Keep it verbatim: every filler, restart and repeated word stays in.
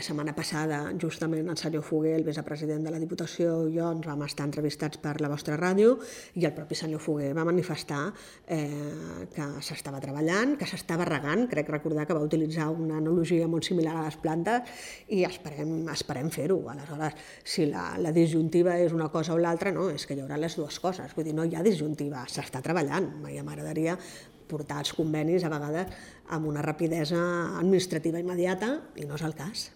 la setmana passada, justament, el senyor Foguer, el vicepresident de la Diputació, i jo ens vam estar entrevistats per la vostra ràdio, i el propi senyor Foguer va manifestar eh, que s'estava treballant, que s'estava regant. Crec recordar que va utilitzar una analogia molt similar a les plantes, i esperem, esperem fer-ho. Aleshores, si la, la disjuntiva és una cosa o l'altra, no, és que hi haurà les dues coses. Vull dir, no hi ha disjuntiva, s'està treballant. Ja m'agradaria portar els convenis a vegades amb una rapidesa administrativa immediata, i no és el cas.